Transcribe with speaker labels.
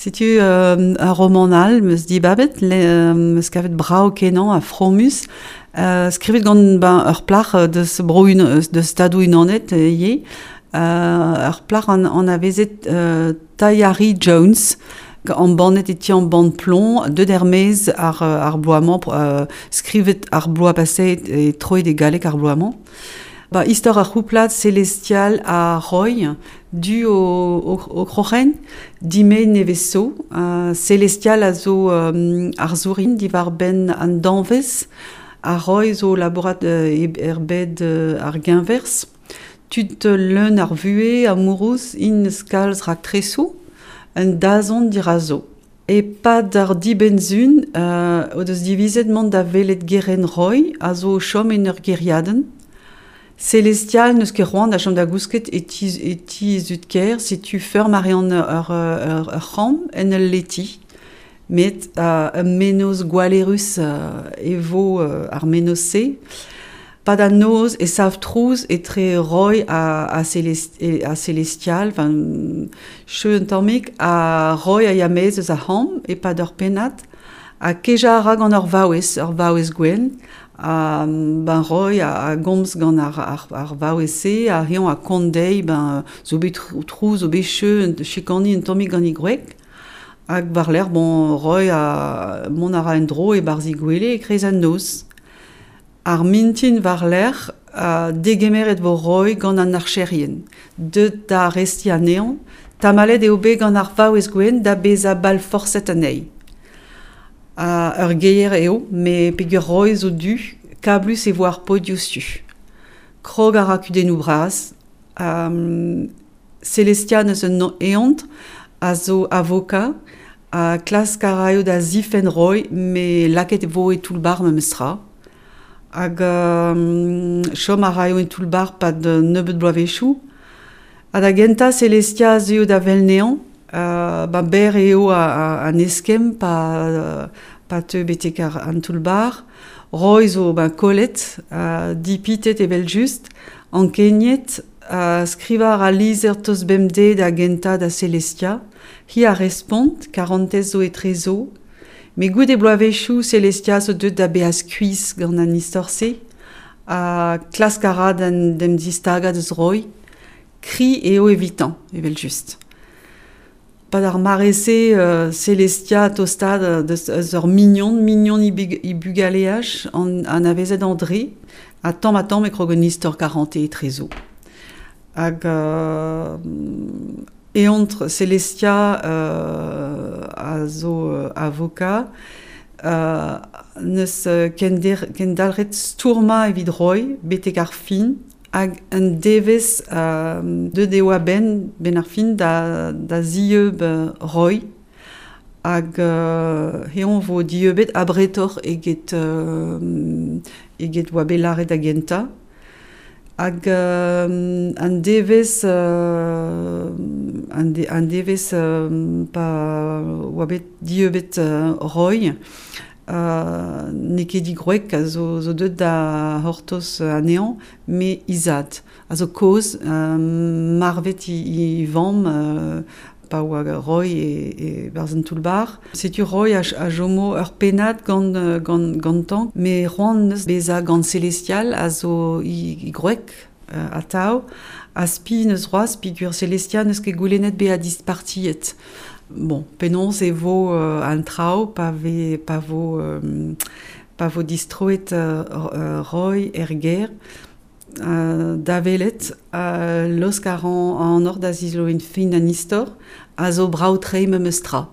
Speaker 1: Setu ur romant all 'm eus dibabet, 'm eus kavet brav-kenañ ha fromus, skrivet gant ben ur plac'h deus bro deus Stadoù-Unanet ivez, ur plac'h anavezet Tayari Jones, embannet e ti embann Plon, deuet er-maez ar bloaz-mañ, skrivet ar bloaz paseet e troet e galleg ar bloaz-mañ. Ba istor ar c'houplad Celestial ha Roy, du o kroc'hen, dime nevez zo. Celestial a zo arzourien diwar-benn an danvez, ha Roy zo labourat er bed ar geñverz. Tud leun ar vuhez, amourous, int eus kalz raktresoù, un dazont dirazo. E-pad ar dibenn-sizhun o deus divizet mont da welet gerent Roy, a zo o chom en ur gêriadenn. Celestial n'eus ket c'hoant da chom da gousket e ti zud-kaer, setu feurm a reont ur c'hamp en ul leti. Met ur mennozh gwallerus e vo ar mennozh-se. Pad an noz e sav trouz etre Roy ha Celestial, enfin, cheu un tammig, ha Roy a ya maez eus ar c'hamp e-pad ur pennad, ha kejañ a ra gant ur vaouez gwenn, ha ben Roy a gomz gant ar vaouez-se, ha eñ a kont dezhi ben zo bet trouz, zo bet cheu, chikaniñ un tammig gant he gwreg. Hag war-lerc'h, bon, Roy a mont a ra en-dro e-barzh he gwele e-kreiz an noz. Ar mintin war-lerc'h, degemeret vo Roy gant an archerien. Deuet da arestiñ anezhañ, tamallet eo bet gant ar vaouez gwenn da bezañ balforset anezhi. Ur geier eo, met peger Roy zo du, kablus e vo ar paotr diouzhtu. Krog a ra kudennoù bras. Celestia neus un eontr a zo avoka ha klask a raio da zifenn Roy, met lakaet e vo e toull-bac'h memestra. Hag chom a raio en toull-bac'h 'pad nebeut bloavezhioù. Ha da gentañ Celestia a zeuio da wel anezhañ. Ba berr eo an eskemm pa teu betek an toull-bac'h. Roy zo ben kollet, dipitet evel-just, ankeniet, skrivañ a ra lizher tost bemdez da gentañ da Celestia. Hi a respont, karantez zo etrezo. Met goude bloavezhioù Celestia zo deuet da bezañ skuizh gant an istor-se ha klask a ra d'en distagañ deus Roy. Kri eo evitañ, evel-just. Pad ar mare-se, Celestia tostaat deus ur mignon, mignon he bugaleaj, anavezet André, ha tamm-ha-tamm e krog un istor karantez etrezo. Hag eontr Celestia a zo avoka, neus kendalc'het stourmañ evit Roy betek ar fin, hag un devezh deuet eo a-benn benn ar fin da zieub Roy. Hag eñ vo dieubet abretoc'h eget oa bet lâret da gentañ. Hag an devezh an devezh pa oa bet dieubet Roy, n'eo ket he gwreg a zo deuet da c'hortoz anezhañ, met he zad, a zo kozh, marvet he vamm pa oa Roy e-barzh an toull-bac'h. Setu Roy a chomo ur pennad gantañ, met c'hoant neus bezañ gant Celestial a zo he gwreg atav, ha spi neus c'hoazh peogwir Celestia n'eus ket goulennet bezañ dispartiet. Bon, penaos e vo an traoù pa vo distroet Roy er gêr da welet, laosk a ran an hor da zizoloiñ fin an istor, a zo brav-tre memes tra.